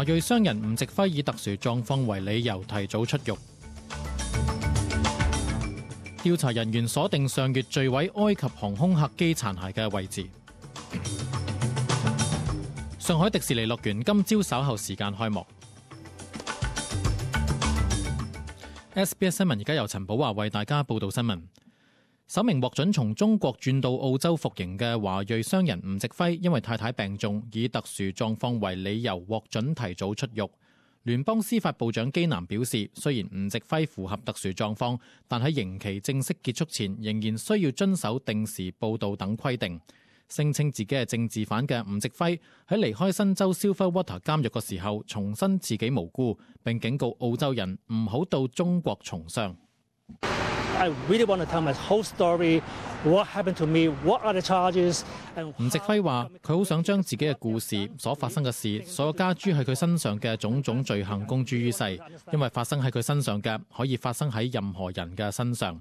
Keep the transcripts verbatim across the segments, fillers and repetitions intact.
華裔商人吳植輝以特殊狀況為理由提早出獄。調查人員鎖定上月墜毀埃及航空客機殘骸嘅位置。上海迪士尼樂園今朝稍後時間開幕。S B S 新聞而家由陳寶華為大家報道新聞。首名獲准從中國轉到澳洲服刑嘅華裔商人吳植輝，因為太太病重，以特殊狀況為理由獲准提早出獄。聯邦司法部長基南表示，雖然吳植輝符合特殊狀況，但喺刑期正式結束前，仍然需要遵守定時報到等規定。聲稱自己係政治犯嘅吳植輝喺離開新州 Silverwater 監獄嘅時候，重申自己無辜，並警告澳洲人唔好到中國從商。I really want to tell my whole story. What happened to me? What are the charges? 吳植輝話：佢好想將自己嘅故事、所發生嘅事、所有加諸喺佢身上嘅種種罪行公諸於世，因為發生喺佢身上嘅可以發生喺任何人嘅身上。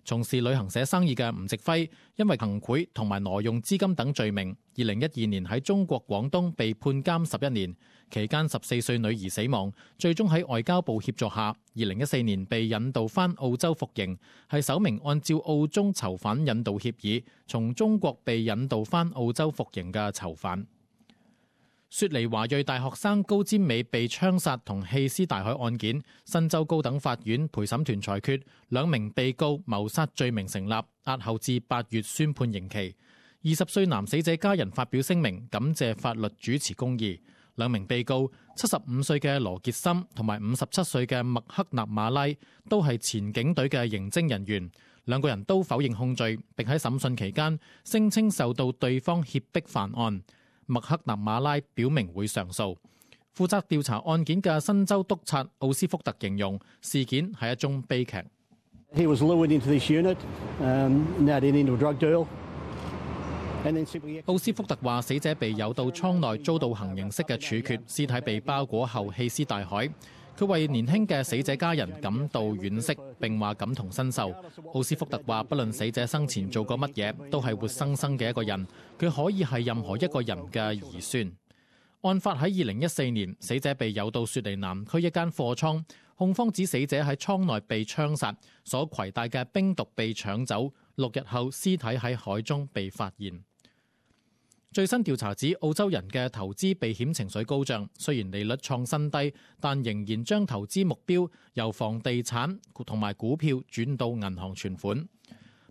從事旅行社生意嘅吳植輝，因為行賄同埋挪用資金等罪名，二零一二年喺中國廣東被判監十一年，期間十四歲女兒死亡，最終喺外交部協助下，二零一四年被引渡返澳洲服刑，係首名按照澳中囚犯引渡協議從中國被引渡返澳洲服刑嘅囚犯。雪梨華裔大學生高占美被槍殺同棄屍大海案件，新州高等法院陪審團裁決兩名被告謀殺罪名成立，押後至八月宣判刑期。二十歲男死者家人發表聲明，感謝法律主持公義。兩名被告七十五歲嘅羅傑森同埋五十七歲嘅麥克納馬拉都係前警隊嘅刑偵人員，兩個人都否認控罪，並喺審訊期間聲稱受到對方脅迫犯案。麥克納馬拉表明會上訴。負責調查案件嘅新州督察奧斯福特形容事件係一宗悲劇。He was lured into this unit, um, now into a drug deal. 奧斯福特話：死者被誘到倉內，遭到行刑式嘅處決，屍體被包裹後棄屍大海。佢為年輕嘅死者家人感到惋惜，並話感同身受。奧斯福特話：不論死者生前做過乜嘢，都係活生生嘅一個人，佢可以係任何一個人嘅兒孫。案發喺二零一四年，死者被誘到雪梨南區一間貨倉，控方指死者喺倉內被槍殺，所攜帶嘅冰毒被搶走，六日後屍體喺海中被發現。最新調查指，澳洲人嘅投資避險情緒高漲，雖然利率創新低，但仍然將投資目標由房地產同埋股票轉到銀行存款。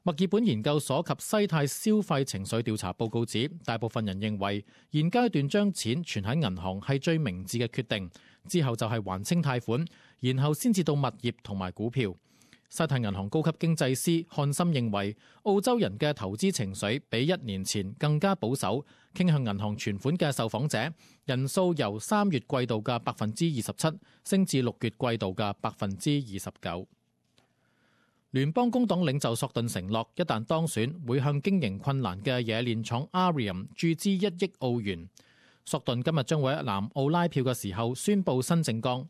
墨爾本研究所及西太消費情緒調查報告指，大部分人認為現階段將錢存喺銀行係最明智嘅決定，之後就係還清貸款，然後先至到物業同埋股票。西太銀行高級經濟師漢森認為，澳洲人嘅投資情緒比一年前更加保守，傾向銀行存款嘅受訪者人數由三月季度嘅百分之二十七升至六月季度嘅百分之二十九。聯邦工黨領袖索頓承諾，一旦當選，會向經營困難嘅冶煉廠 Arium 注資一億澳元。索頓今日將會喺南澳拉票嘅時候宣佈新政綱。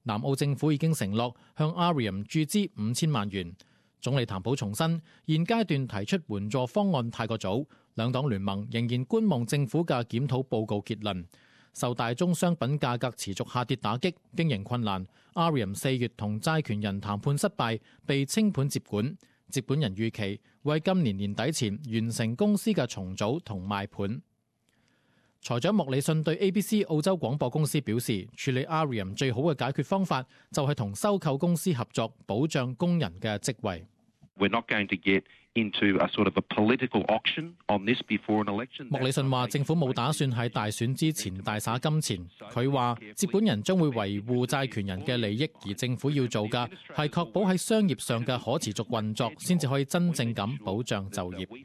南澳政府已經承諾向 Arium 注資五千萬元。總理譚普重申，現階段提出援助方案太過早，兩黨聯盟仍然觀望政府嘅檢討報告結論。受大宗商品價格持續下跌打擊，經營困難， Arium 四月同債權人談判失敗，被清盤接管。接管人預期會喺今年年底前完成公司嘅重組同賣盤。財長莫里遜對 A B C 澳洲廣播公司表示，處理 Arium 最好嘅解決方法就係同收購公司合作，保障工人嘅職位。We're not going to get into a sort of a political auction on this before an election. 莫里遜話：政府冇打算喺大選之前大灑金錢。佢話接管人將會維護債權人嘅利益，而政府要做嘅係確保喺商業上嘅可持續運作，先至可以真正咁保障就業。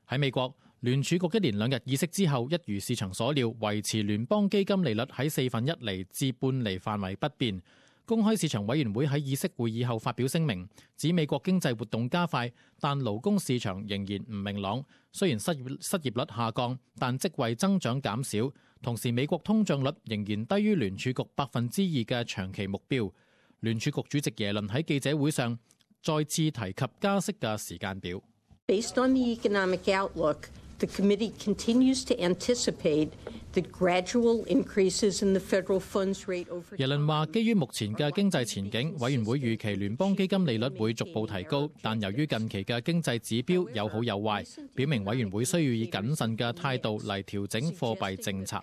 喺美國，聯儲局一連兩日議息之後，一如市場所料，維持聯邦基金利率喺四分一厘至半厘範圍不變。公開市場委員會喺議息會議後發表聲明，指美國經濟活動加快，但勞工市場仍然唔明朗。雖然失業失業率下降，但職位增長減少，同時美國通脹率仍然低於聯儲局百分之二嘅長期目標。聯儲局主席耶倫喺記者會上再次提及加息嘅時間表。Based on the economic outlook, The committee continues to anticipate the gradual increases in the federal funds rate over time. 耶倫話：基於目前嘅經濟前景，委員會預期聯邦基金利率會逐步提高，但由於近期嘅經濟指標有好有壞，表明委員會需要以謹慎嘅態度嚟調整貨幣政策。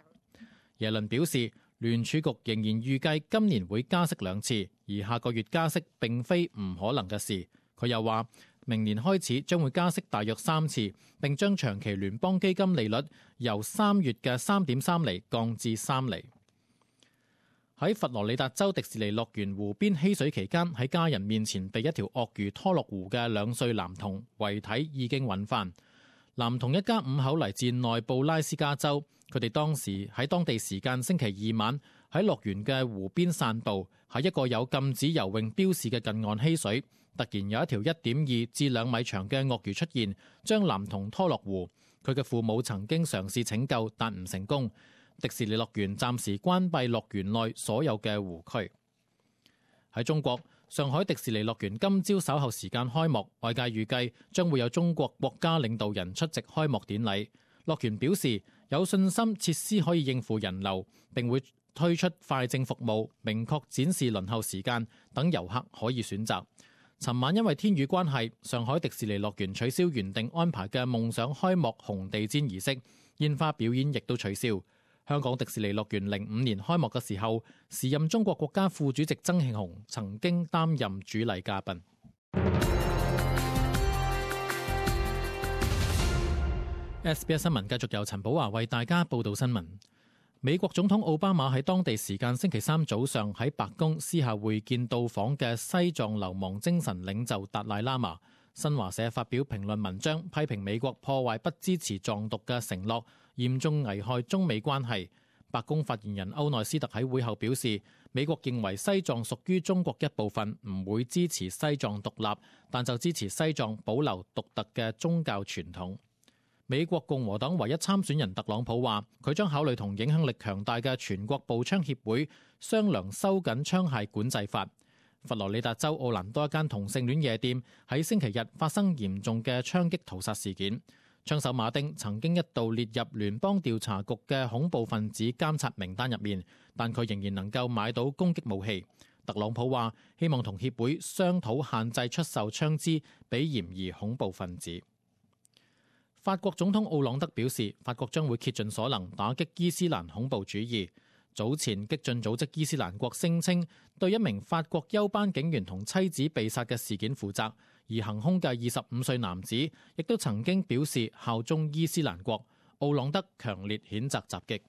耶倫表示，聯儲局仍然預計今年會加息兩次，而下個月加息並非唔可能嘅事。佢又話，明年開始將會加息大約三次，並將長期聯邦基金利率由三月嘅三點三厘降至三厘。喺佛羅里達州迪士尼樂園湖邊嬉水期間，喺家人面前被一條鱷魚拖落湖嘅兩歲男童遺體已經揾返。男童一家五口嚟自內布拉斯加州，佢哋當時喺當地時間星期二晚喺樂園嘅湖邊散步，喺一個有禁止游泳標示嘅近岸嬉水。突然有一條一點二至兩米長嘅鱷魚出現，將男童拖落湖。佢嘅父母曾經嘗試拯救，但唔成功。迪士尼樂園暫時關閉樂園內所有嘅湖區。喺中國，上海迪士尼樂園今朝稍後時間開幕，外界預計將會有中國國家領導人出席開幕典禮。樂園表示有信心設施可以應付人流，並會推出快證服務，明確展示輪候時間，等遊客可以選擇。尋晚因為天雨關係，上海迪士尼樂園取消原定安排嘅夢想開幕紅地毯儀式，煙花表演亦都取消。香港迪士尼樂園零五年開幕嘅時候，時任中國國家副主席曾慶紅曾經擔任主禮嘉賓。S B S 新聞繼續由陳寶華為大家報道新聞。美國總統奧巴馬喺當地時間星期三早上喺白宮私下會見到訪嘅西藏流亡精神領袖達賴喇嘛。新華社發表評論文章，批評美國破壞不支持藏獨嘅承諾，嚴重危害中美關係。白宮發言人歐內斯特喺會後表示，美國認為西藏屬於中國一部分，唔會支持西藏獨立，但就支持西藏保留獨特嘅宗教傳統。美國共和黨唯一參選人特朗普話，佢將考慮同影響力強大嘅全國步槍協會商量收緊槍械管制法。佛羅里達州奧蘭多一間同性戀夜店喺星期日發生嚴重嘅槍擊屠殺事件，槍手馬丁曾經一度列入聯邦調查局嘅恐怖分子監察名單入面，但佢仍然能夠買到攻擊武器。特朗普話希望同協會商討限制出售槍支俾嫌疑恐怖分子。法國總統奧朗德表示，法國將會竭盡所能打擊伊斯蘭恐怖主義。早前激進組織伊斯蘭國聲稱對一名法國休班警員同妻子被殺嘅事件負責，而行兇嘅二十五歲男子亦都曾經表示效忠伊斯蘭國。奧朗德強烈譴責襲擊。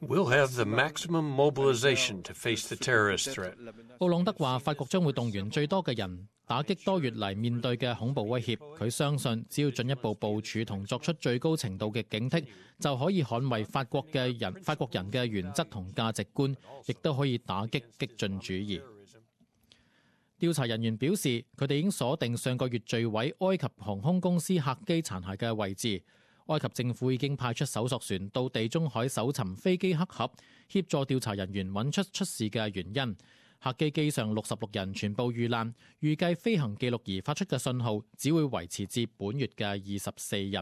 We'll have the maximum mobilization to face the terrorist threat. 奧朗德話，法國將會動員最多嘅人打擊多月嚟面對嘅恐怖威脅。佢相信，只要進一步部署同作出最高程度嘅警惕，就可以捍衛法國嘅人、法國人嘅原則同價值觀，亦都可以打擊激進主義。調查人員表示，佢哋已經鎖定上個月墜毀埃及航空公司客機殘骸嘅位置。埃及政府已經派出搜索船到地中海搜尋飛機黑盒，協助調查人員揾出出事嘅原因。客機機上六十六人全部遇難，預計飛行記錄儀發出嘅信號只會維持至本月嘅二十四日。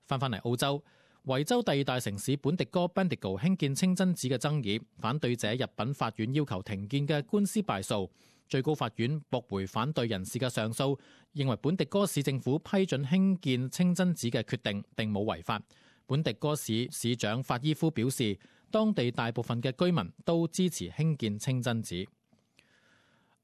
翻返嚟澳洲，維州第二大城市本迪哥 Bendigo 興建清真寺嘅爭議，反對者入稟法院要求停建嘅官司敗訴。最高法院駁回反對人士嘅上訴，認為本迪哥市政府批准興建清真寺嘅決定並冇違法。本迪哥市市長法伊夫表示，當地大部分嘅居民都支持興建清真寺。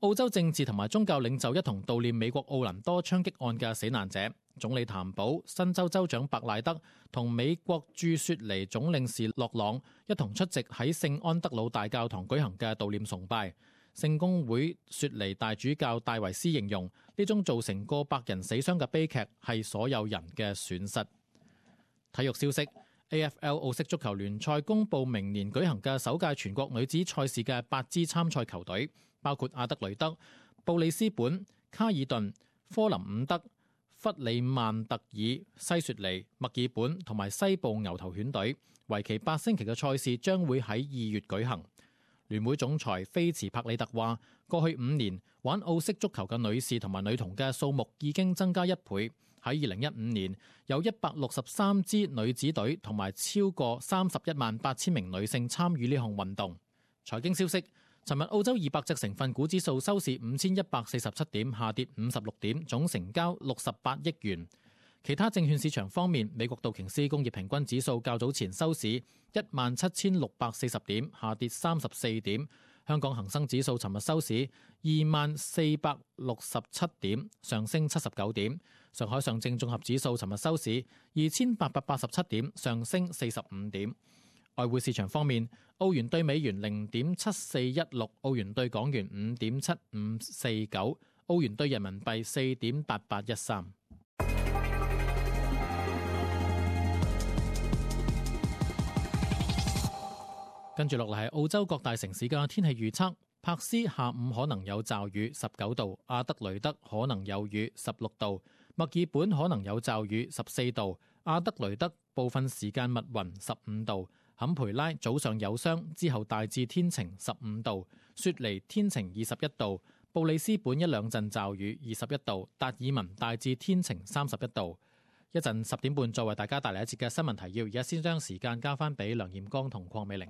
澳洲政治同埋宗教領袖一同悼念美國奧蘭多槍擊案嘅死難者。總理譚寶、新州州長白賴德同美國駐雪梨總領事洛朗一同出席喺聖安德魯大教堂舉行嘅悼念崇拜。聖公會雪梨大主教戴維斯形容呢宗造成過百人死傷嘅悲劇係所有人嘅損失。體育消息 ，A F L 澳式足球聯賽公佈明年舉行嘅首屆全國女子賽事嘅八支參賽球隊，包括阿德雷德、布里斯本、卡爾頓、科林伍德、弗里曼特爾、西雪梨、墨爾本同埋西部牛頭犬隊。為期八星期嘅賽事將會喺二月舉行。聯會總裁菲茨帕里特話，過去五年玩澳式足球嘅女士同埋女童嘅數目已經增加一倍。喺二零一五年，有一百六十三支女子隊同埋超過三十一萬八千名女性參與呢項運動。財經消息，尋日澳洲二百隻成分股指數收市五千一百四十七點，下跌五十六點，總成交六十八億元。其他證券市場方面，美國道瓊斯工業平均指數較早前收市一萬七千六百四十點，下跌三十四點。香港恒生指數尋日收市二萬四百六十七點，上升七十九點。上海上證綜合指數尋日收市二千八百八十七點，上升四十五點。外匯市場方面，澳元對美元零點七四一六，澳元對港元五點七五四九，澳元對人民幣四點八八一三。跟住落嚟係澳洲各大城市嘅天氣預測。柏斯下午可能有驟雨，十九度；阿德雷德可能有雨，十六度；墨爾本可能有驟雨，十四度；阿德雷德部分時間密雲，十五度；坎培拉早上有霜，之後大致天晴，十五度；雪梨天晴，二十一度；布里斯本一兩陣驟雨，二十一度；達爾文大致天晴，三十一度。一陣十點半再為大家帶嚟一節嘅新聞提要，而家先將時間交翻俾梁艷剛同鄺美玲。